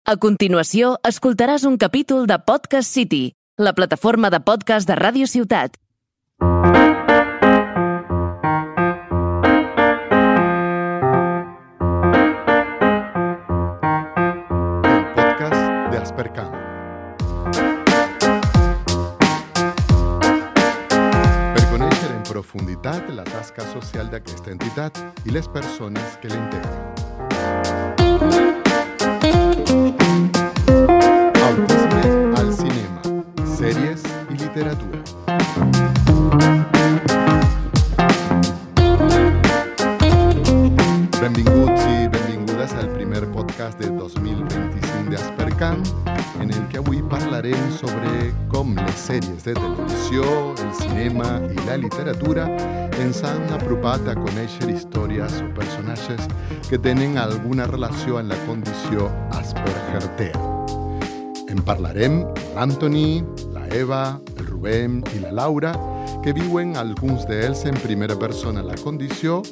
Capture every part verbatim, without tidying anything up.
A continuació, escoltaràs un capítol de Podcast City, la plataforma de podcast de Ràdio Ciutat. El podcast de Aspercam. Per conèixer en profunditat la tasca social d'aquesta entitat i les persones que la integren. Autisme al cinema, sèries i literatura. Benvinguts i benvingudes al primer podcast de dos mil vint-i-cinc d'Aspercam, en el que avui parlarem sobre com les sèries de televisió, el cinema i la literatura ens han apropat a conèixer històries o personatges que tenen alguna relació amb la condició Asperger-Tea. En parlarem l'Anthony, la Eva, el Rubén i la Laura, que viuen alguns d'ells en primera persona la condició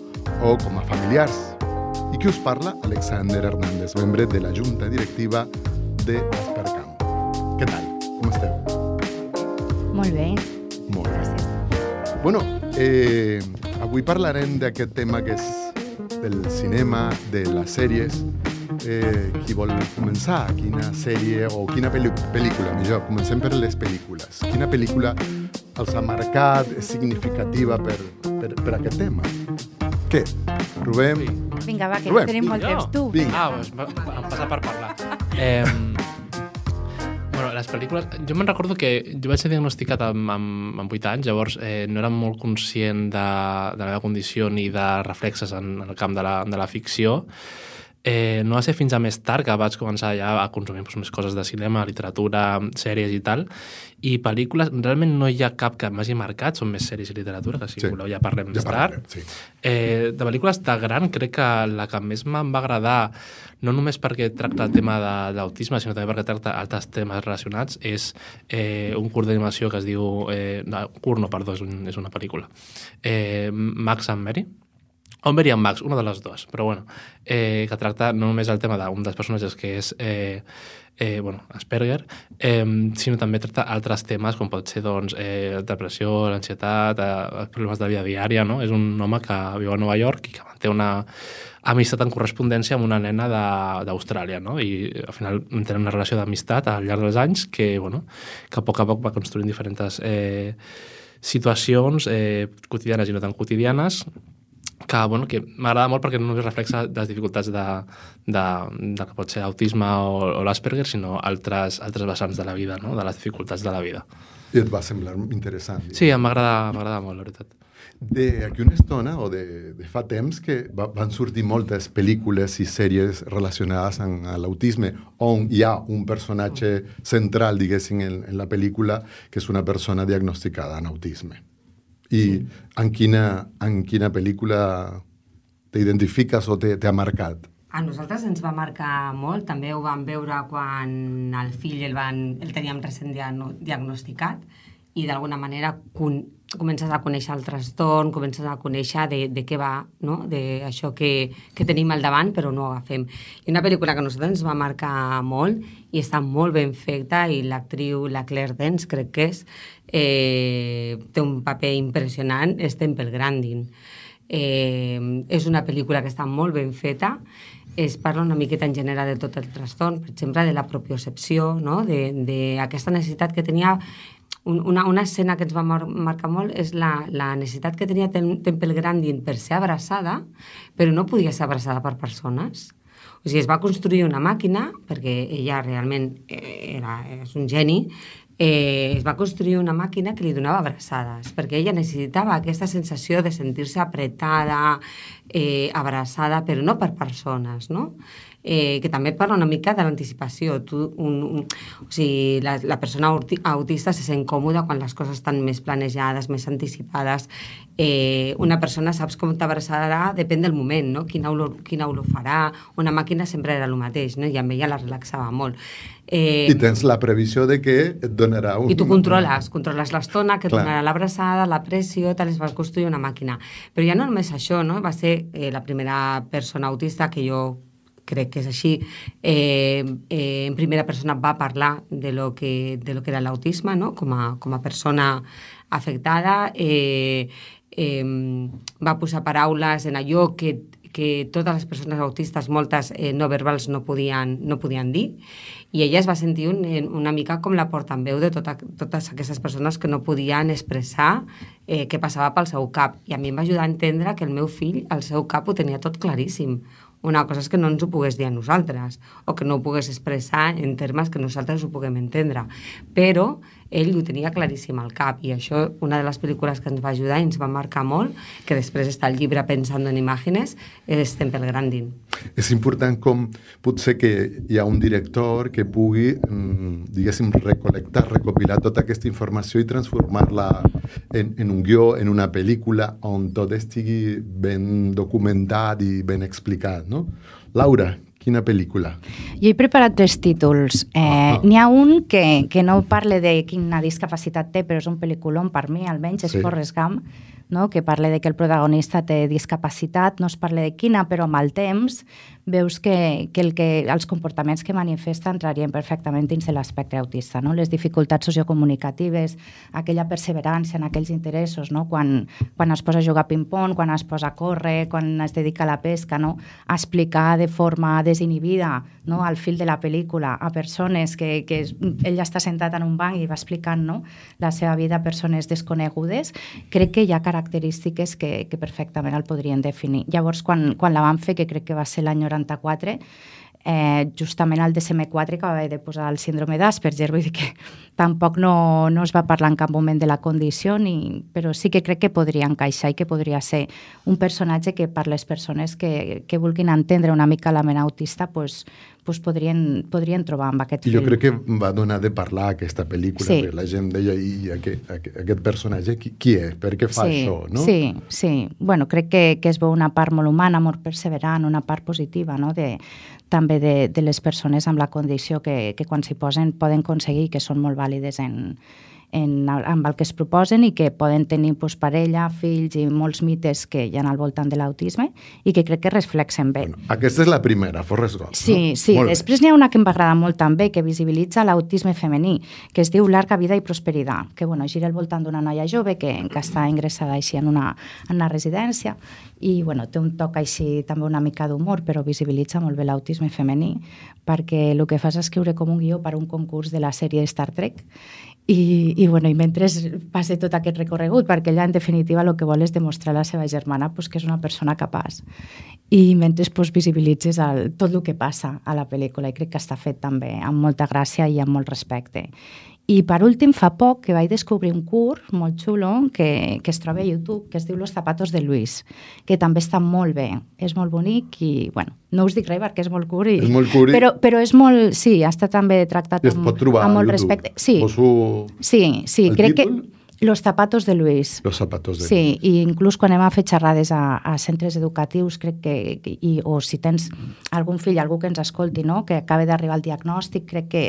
o com a familiars. I qui us parla? Alexander Hernández, membre de la Junta Directiva de Aspercam. Què tal? Com esteu? Molt bé. Molt bé. Bueno, eh, avui parlarem d'aquest tema que és del cinema, de les sèries. Eh, qui vol començar? Quina sèrie o quina pel·li- pel·lícula? Millor, comencem per les pel·lícules. Quina pel·lícula els ha marcat, és significativa per, per, per aquest tema? Què? Rubén? Vinga, va, que Rubén, no tenim molt vinga. temps. Tu. Vinga. Ah, doncs em passa per parlar. Eh, bueno, les pel·lícules... Jo me'n recordo que jo vaig ser diagnosticat amb, amb, amb vuit anys, llavors eh, no era molt conscient de, de la meva condició ni de reflexes en, en el camp de la, de la ficció. Eh, no va ser fins a més tard que vaig començar ja a consumir doncs, més coses de cinema, literatura, sèries i tal, i pel·lícules, realment no hi ha cap que m'hagi marcat, són més sèries i literatura, que si Sí. voleu ja parlem Ja més tard. parlarem, sí. Eh, de pel·lícules de gran, crec que la que més em va agradar, no només perquè tracta el tema de, de l'autisme, sinó també perquè tracta altres temes relacionats, és eh, un curt d'animació que es diu... Eh, no, curt no, perdó, és, un, és una pel·lícula. Eh, Max and Mary. O Mary and Max, una de les dues, però bueno, eh, que tracta no només el tema d'un dels personatges que és eh, eh, bueno, Asperger, eh, sinó també tracta altres temes com pot ser doncs, eh, depressió, l'ansietat, eh, els problemes de vida diària, no? És un home que viu a Nova York i que manté una amistat en correspondència amb una nena d'Austràlia, no? I al final tenen una relació d'amistat al llarg dels anys que, bueno, que a poc a poc va construint diferents eh, situacions eh, quotidianes i no tan quotidianes, que, bueno, que m'agrada molt perquè no només reflexa les dificultats de, de, de que pot ser autisme o, o l'Asperger, sinó altres, altres vessants de la vida, no? De les dificultats de la vida. I et va semblar interessant. Sí, m'agrada molt, la veritat. D'aquí una estona, o de, de fa temps, que va, van sortir moltes pel·lícules i sèries relacionades amb l'autisme, on hi ha un personatge central, diguéssim, en, en la pel·lícula, que és una persona diagnosticada amb autisme. I sí. en, quina, en quina pel·lícula t'identifiques o t'ha marcat? A nosaltres ens va marcar molt, també ho vam veure quan el fill el, van, el teníem recent diagnosticat i d'alguna manera con, comences a conèixer el trastorn, comences a conèixer de, de què va, no? De això que, que tenim al davant però no ho agafem. I una pel·lícula que a nosaltres ens va marcar molt i està molt ben feta i l'actriu, la Claire Danes, crec que és, eh, té un paper impressionant, és Temple Grandin. Eh, és una pel·lícula que està molt ben feta, es parla una miqueta en general de tot el trastorn, per exemple, de la propiocepció, no? D'aquesta necessitat que tenia. Una, una escena que ens va mar marcar molt és la, la necessitat que tenia Tem Temple Grandin per ser abraçada, però no podia ser abraçada per persones. O sigui, es va construir una màquina, perquè ella realment era, és un geni, eh, es va construir una màquina que li donava abraçades, perquè ella necessitava aquesta sensació de sentir-se apretada, eh, abraçada, però no per persones, no? Eh, que també parla una mica de l'anticipació. Un, un, o sigui, la, la persona autista se sent còmoda quan les coses estan més planejades, més anticipades. Eh, una persona saps com t'abraçarà, depèn del moment, no? Quina olor, quina olor farà. Una màquina sempre era el mateix, no? I amb ella la relaxava molt. Eh, I tens la previsió de que et donarà un... I tu controles, controles l'estona, que et Clar. donarà l'abraçada, la pressió, te les vas construir una màquina. Però ja no només això, no? Va ser eh, la primera persona autista que jo crec que és així, eh, eh, en primera persona va parlar de lo que, de lo que era l'autisme, no? com, a, com a persona afectada, eh, eh, va posar paraules en allò que que totes les persones autistes, moltes eh, no verbals, no podien, no podien dir, i ella es va sentir un, una mica com la portaveu de tota, totes aquestes persones que no podien expressar eh, què passava pel seu cap. I a mi em va ajudar a entendre que el meu fill, el seu cap, ho tenia tot claríssim. Una cosa és que no ens ho pogués dir a nosaltres, o que no ho pogués expressar en termes que nosaltres ho puguem entendre. Però ell ho tenia claríssim al cap, i això, una de les pel·lícules que ens va ajudar i ens va marcar molt, que després està el llibre Pensando en Imágenes, és Temple Grandin. És important com potser que hi ha un director que pugui, diguéssim, recolectar, recopilar tota aquesta informació i transformar-la en, en un guió, en una pel·lícula, on tot estigui ben documentat i ben explicat, no? Laura, quina pel·lícula? Jo he preparat tres títols. Eh, uh-huh. N'hi ha un que, que no parla de quina discapacitat té, però és un pel·lículon per mi, almenys, és sí. Forrest Gump, no? Que parla de que el protagonista té discapacitat, no es parla de quina, però amb el temps veus que, que, el que els comportaments que manifesta entrarien perfectament dins de l'espectre autista, no? Les dificultats sociocomunicatives, aquella perseverança en aquells interessos, no? Quan, quan es posa a jugar ping-pong, quan es posa a córrer, quan es dedica a la pesca, no? A explicar de forma desinhibida, no? Al fil de la pel·lícula a persones que, que ell està sentat en un banc i va explicant, no? La seva vida a persones desconegudes. Crec que hi ha característiques que, que perfectament el podrien definir. Llavors, quan, quan la vam fer, que crec que va ser l'any noranta-quatre, eh, justament el D S M quatre que va haver de posar el síndrome d'Asperger, vull dir que tampoc no, no es va parlar en cap moment de la condició, ni, però sí que crec que podria encaixar i que podria ser un personatge que per les persones que, que vulguin entendre una mica la ment autista pues, pues podrien, podrien trobar amb aquest film. Jo crec que va donar de parlar aquesta pel·lícula, sí. Perquè la gent deia, i aquest, aquest personatge qui, qui és? Per què fa sí, això? No? Sí, sí. Bueno, crec que, que es veu una part molt humana, molt perseverant, una part positiva, no? de, també de, de les persones amb la condició que, que quan s'hi posen poden aconseguir, que són molt vàlides en, en, amb el que es proposen i que poden tenir pues, parella, fills i molts mites que hi ha al voltant de l'autisme i que crec que reflexen bé. Bueno, aquesta és la primera, Forrest Gump. Sí, no? sí. Després n'hi ha una que em va agradar molt també, que visibilitza l'autisme femení, que es diu Larga vida i prosperitat, que bueno, gira al voltant d'una noia jove que, que està ingressada així en una, en una residència i bueno, té un toc així també una mica d'humor, però visibilitza molt bé l'autisme femení, perquè el que fa és escriure com un guió per un concurs de la sèrie Star Trek i, i, bueno, i mentre passa tot aquest recorregut, perquè ella en definitiva el que vol és demostrar a la seva germana pues, que és una persona capaç i mentre pues, visibilitzes el, tot el que passa a la pel·lícula i crec que està fet també amb molta gràcia i amb molt respecte. I per últim, fa poc que vaig descobrir un curt molt xulo que, que es troba a YouTube, que es diu Los zapatos de Luis, que també està molt bé, és molt bonic i, bueno, no us dic res perquè és molt curt, i, és molt curt i... però, però és molt, sí, està també tractat amb, amb molt respecte. Sí, Poso... sí, sí crec títol? que Los zapatos de Luis. Los zapatos de sí, Luis. Sí, i inclús quan anem a fer xerrades a, a centres educatius, crec que, i, o si tens algun fill, algú que ens escolti, no? Que acaba d'arribar al diagnòstic, crec que,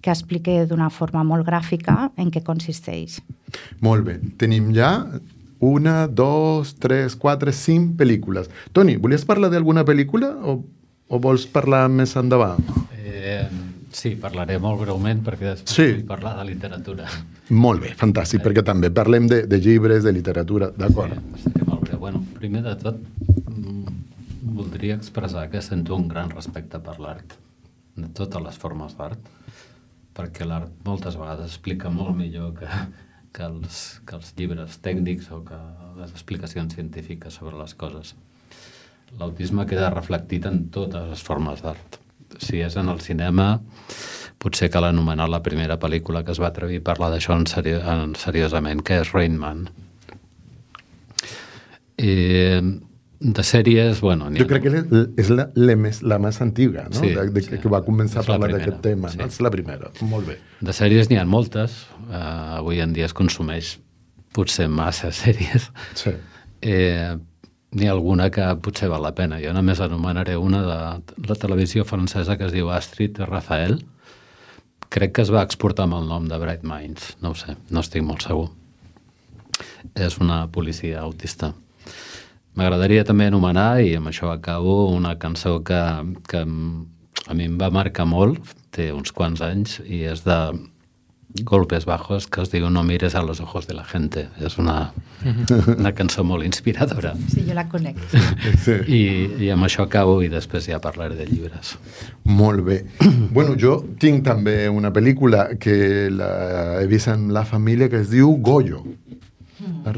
que explique d'una forma molt gràfica en què consisteix. Molt bé. Tenim ja una, dos, tres, quatre, cinc pel·lícules. Toni, volies parlar d'alguna pel·lícula o, o vols parlar més endavant? Eh... Sí, parlaré molt breument perquè després sí. vull parlar de literatura. Molt bé, fantàstic, eh. perquè també parlem de, de llibres, de literatura, d'acord? Sí, molt breu. Bueno, primer de tot, voldria expressar que sento un gran respecte per l'art, de totes les formes d'art, perquè l'art moltes vegades explica molt millor que, que, els, que els llibres tècnics o que les explicacions científiques sobre les coses. L'autisme queda reflectit en totes les formes d'art. Si és en el cinema, potser cal anomenar la primera pel·lícula que es va atrevir a parlar d'això en, seri en seriosament, que és Rain Man. I de sèries, bueno... Jo crec que és la, la, més, la més antiga, no? Sí, de, de, sí, que va començar a parlar d'aquest tema, sí. No? És la primera, molt bé. De sèries n'hi ha moltes, uh, avui en dia es consumeix potser massa sèries. Sí. Eh, N'hi ha alguna que potser val la pena. Jo només anomenaré una de la televisió francesa que es diu Astrid Rafael. Crec que es va exportar amb el nom de Bright Minds. No ho sé, no estic molt segur. És una policia autista. m'agradaria també anomenar, i amb això acabo, una cançó que, que a mi em va marcar molt, té uns quants anys, i és de Golpes Bajos, que es diu No mires a los ojos de la gente. És una, una cançó molt inspiradora. Sí, jo la conec. Sí. I, I amb això acabo i després ja parlaré de llibres. Molt bé. Bueno, jo tinc també una pel·lícula que la he vist amb la família que es diu Goyo. La,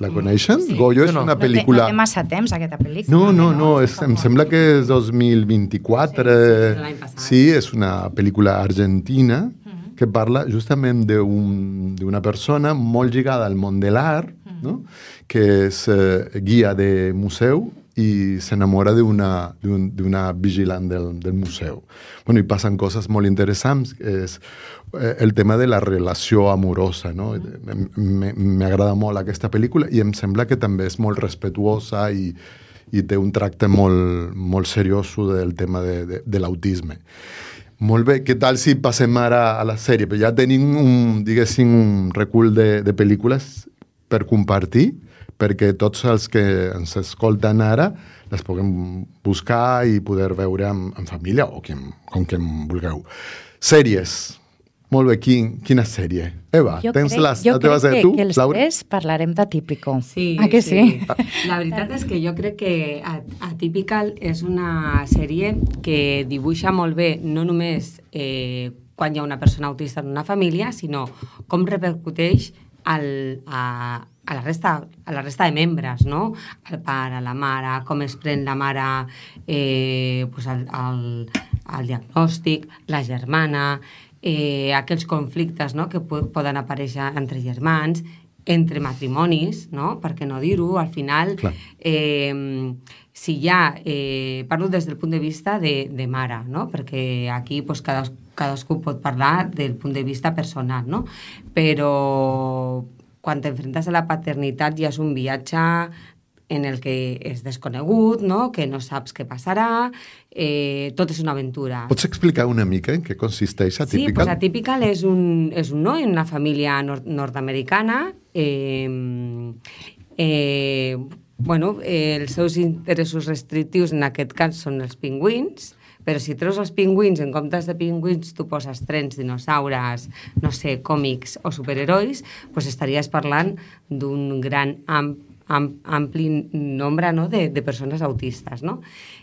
la coneixen? Sí. Goyo és No, no. una No té, pel·lícula... no té massa temps, aquesta pel·lícula. No, no, no, és, em sembla que és dos mil vint-i-quatre. Sí, sí, l'any passat. Sí, és una pel·lícula argentina que parla justament d'un- d'una persona molt lligada al món de l'art, no? Que és eh, guia de museu i s'enamora d'una d'un- d'una vigilant del, del museu. Bueno, i passen coses molt interessants. És eh, el tema de la relació amorosa, no? M- m- M'agrada molt aquesta pel·lícula i em sembla que també és molt respetuosa i, i té un tracte molt, molt seriós del tema de, de, de l'autisme. Molt bé, què tal si passem ara a la sèrie? Però ja tenim un, diguéssim, un recull de, de pel·lícules per compartir, perquè tots els que ens escolten ara les puguem buscar i poder veure amb, amb família o qui, com que en vulgueu. Sèries. Molt bé, quin, quina sèrie? Eva, Jo tens crec, les, jo la teva crec sèrie que, tu, que els Laura? tres parlarem de Típico. Sí, Ah, que sí? La veritat és que jo crec que Atypical és una sèrie que dibuixa molt bé no només eh, quan hi ha una persona autista en una família, sinó com repercuteix al, a, a, la resta, a la resta de membres, no? El pare, la mare, com es pren la mare eh, pues el, el, el diagnòstic, la germana, eh, aquells conflictes, no? Que po poden aparèixer entre germans, entre matrimonis, no? Per què no dir-ho? Al final, Clar. eh, si hi ha... Eh, parlo des del punt de vista de, de mare, no? Perquè aquí pues, cadas, cadascú pot parlar del punt de vista personal, no? Però quan t'enfrentes a la paternitat ja és un viatge en el que és desconegut, no? Que no saps què passarà, eh, tot és una aventura. Pots explicar una mica en què consisteix Sí, Atypical? pues Atypical és un, és un noi en una família nord nord-americana. Eh, eh, bueno, eh, els seus interessos restrictius en aquest cas són els pingüins, però si treus els pingüins, en comptes de pingüins tu poses trens, dinosaures, no sé, còmics o superherois, pues estaries parlant d'un gran am, am, ampli nombre, no? de, de persones autistes, no?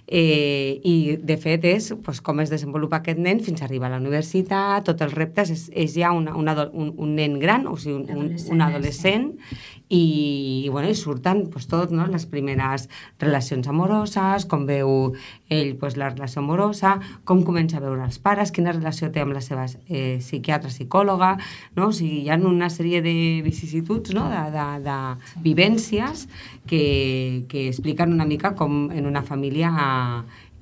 Eh, I, de fet, és pues, com es desenvolupa aquest nen fins a arribar a la universitat, tots els reptes, és, és ja una, una, un, un nen gran, o sigui, un, un, un adolescent, i, i, bueno, i surten pues, tot, no? Les primeres relacions amoroses, com veu ell pues, la relació amorosa, com comença a veure els pares, quina relació té amb la seva eh, psiquiatra, psicòloga, no? O sigui, hi ha una sèrie de vicissituds, no? de, de, de vivències que, que expliquen una mica com en una família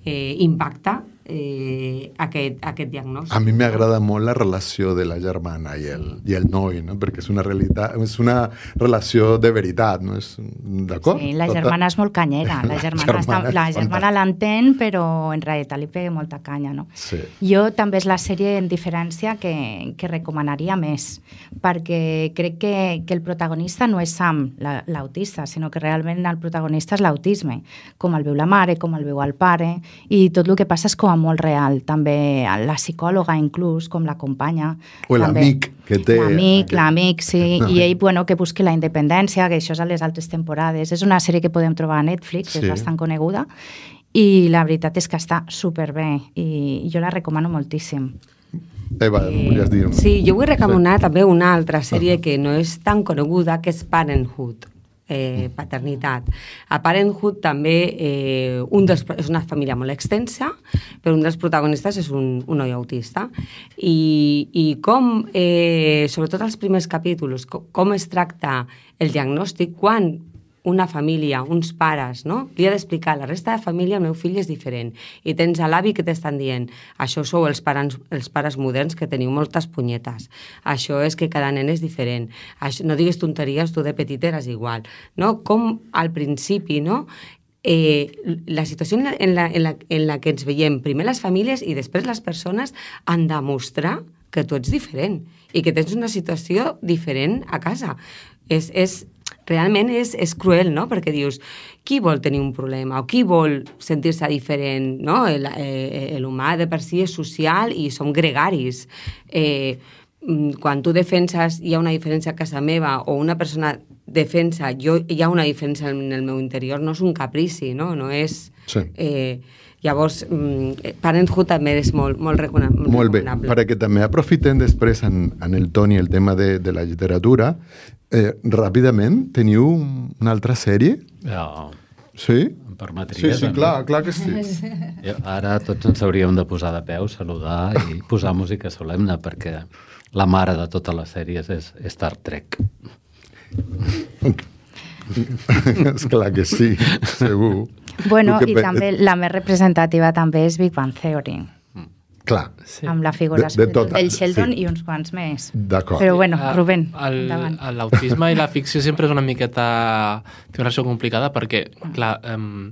eh, impacta eh, aquest, aquest diagnòstic. A mi m'agrada molt la relació de la germana i el, i el noi, no? Perquè és una, realitat, és una relació de veritat, no? És, d'acord? Sí, la germana és molt canyera. La germana, germana està, és la germana l'entén, però en realitat li pega molta canya, no? Sí. Jo també és la sèrie en diferència que, que recomanaria més, perquè crec que, que el protagonista no és Sam, l'autista, sinó que realment el protagonista és l'autisme, com el veu la mare, com el veu el pare, i tot el que passa és com a molt real. També la psicòloga, inclús, com l'acompanya. O l'amic que té... L'amic, aquest... l'amic, sí. No. I ell, bueno, que busqui la independència, que això és a les altres temporades. És una sèrie que podem trobar a Netflix, Sí. és bastant coneguda, i la veritat és que està superbé, i jo la recomano moltíssim. Eva, volies dir? Sí, jo vull recomanar sí. també una altra sèrie que no és tan coneguda, que és Parenthood. Eh, paternitat. A Parenthood també eh, un dels, és una família molt extensa, però un dels protagonistes és un, un noi autista. I, i com, eh, sobretot els primers capítols, com, com es tracta el diagnòstic quan una família, uns pares, no? Li ha d'explicar a la resta de família el meu fill és diferent. I tens a l'avi que t'estan dient això sou els pares, els pares moderns que teniu moltes punyetes. Això és que cada nen és diferent. Això, no digues tonteries, tu de petit eres igual. No? Com al principi, no? Eh, la situació en la, en, la, en, la, en la que ens veiem, primer les famílies i després les persones, han de mostrar que tu ets diferent i que tens una situació diferent a casa. És, és, realment és, és cruel, no? Perquè dius, qui vol tenir un problema o qui vol sentir-se diferent, no? El, eh, l'humà de per si és social i som gregaris. Eh, quan tu defenses hi ha una diferència a casa meva o una persona defensa jo, hi ha una diferència en el meu interior, no és un caprici, no? No és... Sí. Eh, llavors, mm, Parenthood també és molt, molt recomanable. Molt bé, perquè també aprofitem després en, en el Toni el tema de, de la literatura. Eh, ràpidament, teniu una altra sèrie? Ja, Sí? em permetries? Sí, sí, a mi? clar, clar que sí. Jo, ara tots ens hauríem de posar de peu, saludar i posar música solemne, perquè la mare de totes les sèries és Star Trek. És clar que sí, segur. Bueno, El que i pe- també la més representativa també és Big Bang Theory, Clar, Sí. amb la figura De- de tota, del Sheldon sí. i uns quants més. d'acord. Però bueno, Ah, Rubén, el- endavant. L'autisme i la ficció sempre és una miqueta... Té una relació complicada perquè, clar, um,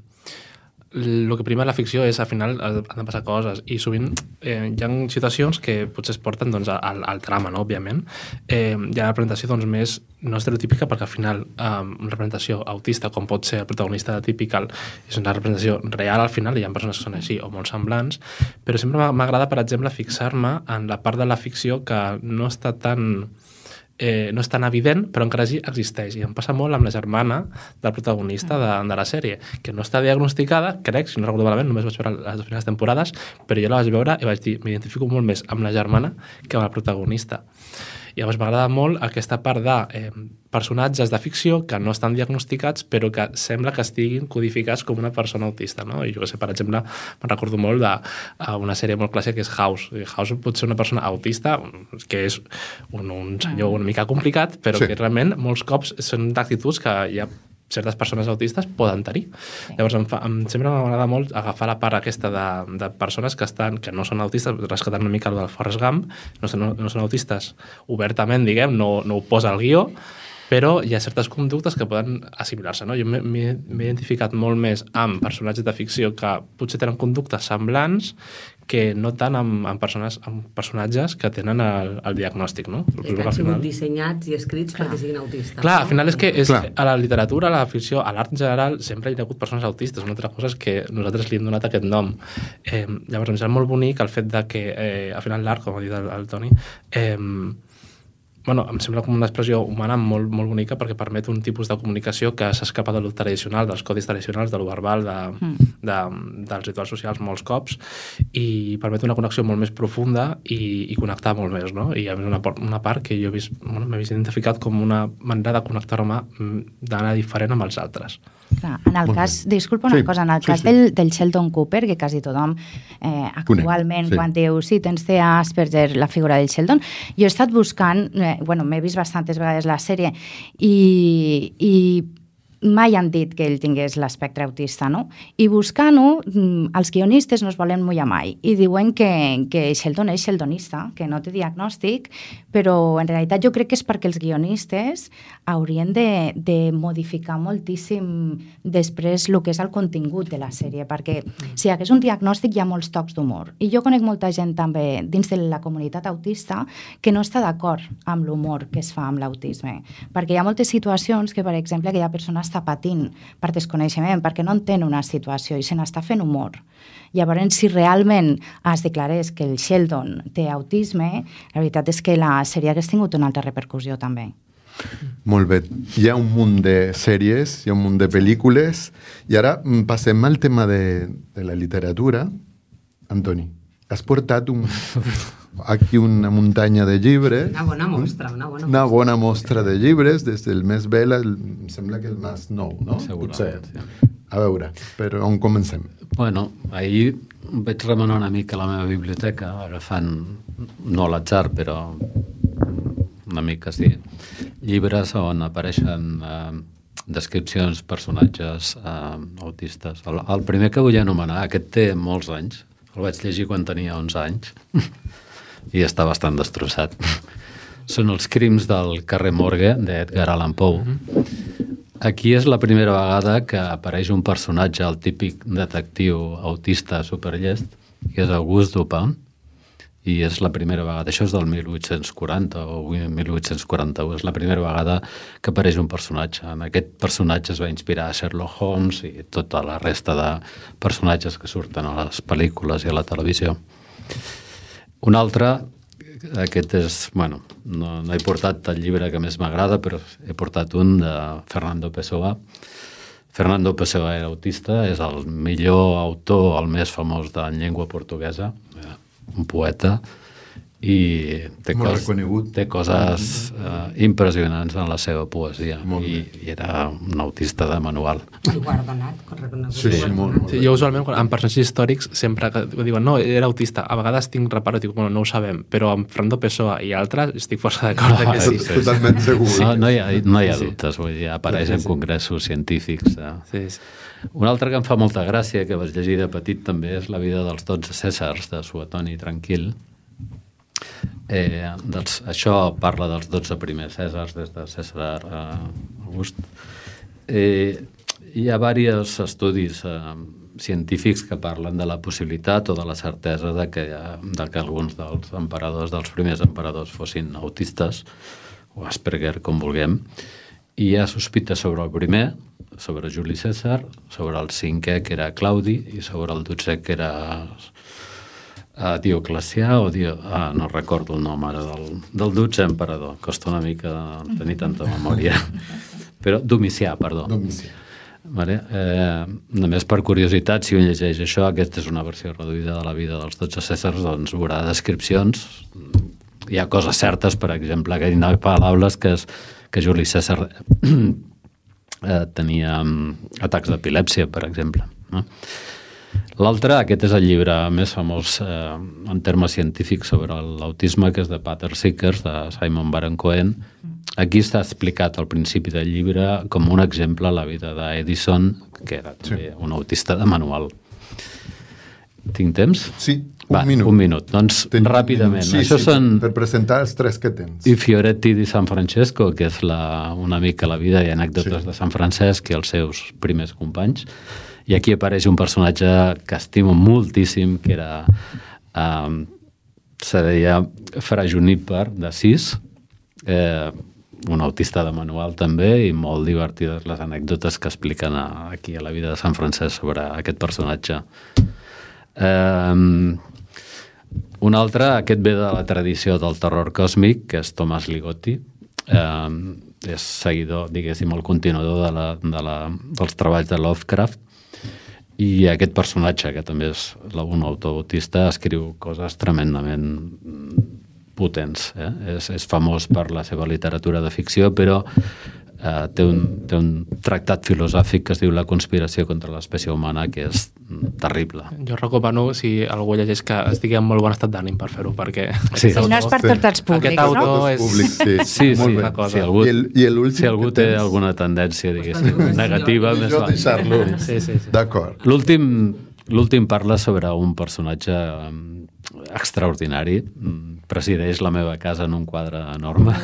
el que prima la ficció és, al final, han de passar coses i sovint eh, hi ha situacions que potser es porten doncs, al, al trama, no? Òbviament. Eh, hi ha una representació doncs, més no estereotípica perquè al final eh, una representació autista, com pot ser el protagonista de Typical, és una representació real al final, hi ha persones que són així o molt semblants, però sempre m'ha- m'agrada, per exemple, fixar-me en la part de la ficció que no està tan... Eh, no és tan evident, però encara sí existeix. I em passa molt amb la germana del protagonista de, de la sèrie, que no està diagnosticada, crec, si no recordo malament, només vaig veure les dues primeres temporades, però jo la vaig veure i vaig dir, m'identifico molt més amb la germana que amb el protagonista. I llavors m'agrada molt aquesta part de eh, personatges de ficció que no estan diagnosticats però que sembla que estiguin codificats com una persona autista, no? I jo que sé, per exemple, me'n recordo molt d'una sèrie molt clàssica que és House. House pot ser una persona autista, que és un, un senyor una mica complicat, però Sí. que realment molts cops són d'actituds que hi ha certes persones autistes poden tenir. Sí. Llavors, em fa, em, sempre m'agrada molt agafar la part aquesta de, de persones que estan que no són autistes, rescatant una mica el del Forrest Gump, no són, no són autistes obertament, diguem, no, no ho posa al guió, però hi ha certes conductes que poden assimilar-se. No? Jo m'he m'he identificat molt més amb personatges de ficció que potser tenen conductes semblants que no tant amb, amb, persones, amb personatges que tenen el, el diagnòstic. No? Que han sigut dissenyats i escrits perquè siguin autistes. Clar, al final és que és, Clar. a la literatura, a la ficció, a l'art en general, sempre hi ha hagut persones autistes. Una altra cosa és que nosaltres li hem donat aquest nom. Eh, llavors, em sembla molt bonic el fet de que, eh, al final, l'art, com ha dit el, el Toni, eh, bueno, em sembla com una expressió humana molt, molt bonica perquè permet un tipus de comunicació que s'escapa de lo tradicional, dels codis tradicionals, de lo verbal, de, mm. de, dels rituals socials molts cops, i permet una connexió molt més profunda i, i connectar molt més, no? I a més una, una part que jo he vist, bueno, m'he vist identificat com una manera de connectar-me d'anar diferent amb els altres. Clar, en el Molt cas, bé. disculpa una Sí, cosa, en el sí, cas sí. Del, del Sheldon Cooper, que quasi tothom eh, actualment, sí. quan diu, sí, tens de Asperger, la figura del Sheldon, jo he estat buscant, eh, bueno, m'he vist bastantes vegades la sèrie, i, i mai han dit que ell tingués l'espectre autista, no? I buscant-ho, els guionistes no es volen mullar mai i diuen que, que Sheldon és sheldonista, que no té diagnòstic, però en realitat jo crec que és perquè els guionistes haurien de, de modificar moltíssim després el que és el contingut de la sèrie, perquè si hi hagués un diagnòstic hi ha molts tocs d'humor. I jo conec molta gent també dins de la comunitat autista que no està d'acord amb l'humor que es fa amb l'autisme, perquè hi ha moltes situacions que, per exemple, aquella persona està patint per desconeixement, perquè no entén una situació i se n'està fent humor. Llavors, si realment es declarés que el Sheldon té autisme, la veritat és que la sèrie hagués tingut una altra repercussió també. Molt bé. Hi ha un munt de sèries, hi ha un munt de pel·lícules, i ara mm, passem al tema de, de la literatura. Antoni, has portat un, aquí una muntanya de llibres. Una bona mostra, una bona Una mostra. bona mostra de llibres, des del més vell, el, em sembla que el més nou, no? Segurament, Potser. sí. A veure, però on comencem? Bueno, ahir vaig remenar una mica la meva biblioteca, agafant, no a l'atzar, però una mica sí, llibres on apareixen eh, descripcions, personatges eh, autistes. El, el primer que vull anomenar, aquest té molts anys, el vaig llegir quan tenia onze anys i està bastant destrossat. Són els crims del carrer Morgue, d'Edgar Allan Poe. Aquí és la primera vegada que apareix un personatge, el típic detectiu autista superllest, que és Auguste Dupin, i és la primera vegada, això és del mil vuit-cents quaranta o mil vuit-cents quaranta-u, és la primera vegada que apareix un personatge. En aquest personatge es va inspirar a Sherlock Holmes i tota la resta de personatges que surten a les pel·lícules i a la televisió. Un altre, aquest és, bueno, no, no he portat el llibre que més m'agrada, però he portat un de Fernando Pessoa. Fernando Pessoa era autista, és el millor autor, el més famós de llengua portuguesa, un poeta, i té, cos, té coses uh, impressionants en la seva poesia, i, i era un autista de manual. I guardonat, reconegut. Sí, sí, molt, molt sí, jo usualment, en personatges històrics, sempre que diuen, no, era autista, a vegades tinc reparo, dic, bueno, no ho sabem, però amb Fernando Pessoa i altres estic força d'acord no, que sí. sí, sí. Totalment segur. No, no, hi ha, no hi ha dubtes, vull dir, apareix sí, sí, en congressos sí. científics. Eh? Sí, sí. Un altre que em fa molta gràcia, que vaig llegir de petit també, és La vida dels dotze Cèsars, de Suetoni Tranquil. Eh, doncs, això parla dels dotze primers Cèsars, des de Cèsar a August. Eh, hi ha diversos estudis eh, científics que parlen de la possibilitat o de la certesa de que, de que alguns dels emperadors, dels primers emperadors, fossin autistes, o Asperger, com vulguem. I hi ha sospita sobre el primer, sobre Juli Cèsar, sobre el cinquè, que era Claudi, i sobre el dotzè, que era uh, Dioclecià, o Dio... ah, no recordo el nom ara del, del dotzè emperador, costa una mica tenir tanta memòria, però Domicià, perdó. Domicià. Vale? Eh, només per curiositat, si un llegeix això, aquesta és una versió reduïda de la vida dels dotze Cèsars, doncs veurà descripcions. Hi ha coses certes, per exemple, que hi ha paraules que, és, que Juli Cèsar eh, tenia um, atacs d'epilèpsia, per exemple. No? L'altre, aquest és el llibre més famós eh, en termes científics sobre l'autisme, que és de Pater Seekers, de Simon Baron-Cohen. Aquí està explicat al principi del llibre com un exemple la vida d'Edison, que era també sí. un autista de manual. Tinc temps? Sí, un Va, minut. Un minut. Doncs, Ten ràpidament. Sí, Això sí, són... per presentar els tres que tens. I Fioretti di San Francesco, que és la, una mica la vida i anècdotes sí. de Sant Francesc i els seus primers companys. I aquí apareix un personatge que estimo moltíssim, que era... Eh, se deia Fra Juníper d'Assís, eh, un autista de manual també, i molt divertides les anècdotes que expliquen a, aquí a la vida de Sant Francesc sobre aquest personatge. Um, un altre, aquest ve de la tradició del terror còsmic, que és Thomas Ligotti. Um, és seguidor, diguéssim, el continuador de la, de la, dels treballs de Lovecraft, i aquest personatge, que també és un autor autista, escriu coses tremendament potents. Eh? És, és famós per la seva literatura de ficció, però eh, té, un, té un tractat filosòfic que es diu La conspiració contra l'espècie humana, que és terrible. Jo recomano, si algú llegeix, que estigui en molt bon estat d'ànim per fer-ho, perquè... Sí, sí, no és per tots els públics, aquest autor no? És... Públic, sí, sí, molt sí, bé. Cosa. Si algú, I el, i si algú té tens... alguna tendència, diguéssim, negativa, més jo val. deixar-lo. Sí, sí, sí. D'acord. L'últim, l'últim parla sobre un personatge extraordinari. Presideix la meva casa en un quadre enorme,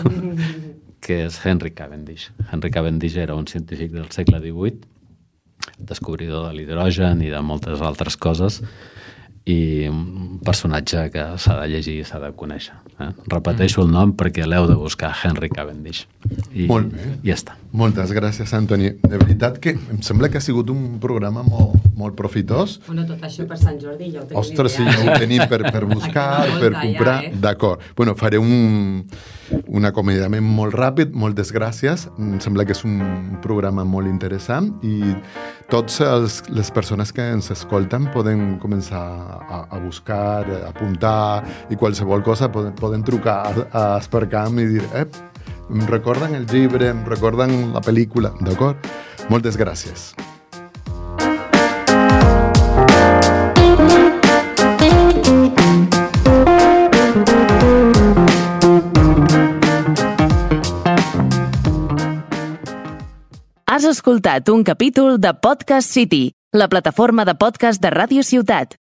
que és Henry Cavendish. Henry Cavendish era un científic del segle divuit, descobridor de l'hidrogen i de moltes altres coses, i un personatge que s'ha de llegir i s'ha de conèixer. Eh? Repeteixo el nom perquè l'heu de buscar, Henry Cavendish. I, Molt bé. I ja està. Moltes gràcies, Antoni. De veritat que em sembla que ha sigut un programa molt, molt profitós. Bueno, tot això per Sant Jordi ja ho tenim. Ostres, sí, ja ho tenim per, per buscar, per comprar. Ja, eh? D'acord. Bueno, faré un, un acomiadament molt ràpid. Moltes gràcies. Em sembla que és un programa molt interessant i tots els, les persones que ens escolten poden començar a, a buscar, a apuntar i qualsevol cosa poden, poden trucar a, a Aspercam i dir eh, em recorden el llibre, em recorden la pel·lícula, d'acord? Moltes gràcies. Has escoltat un capítol de Podcast City, la plataforma de podcast de Ràdio Ciutat.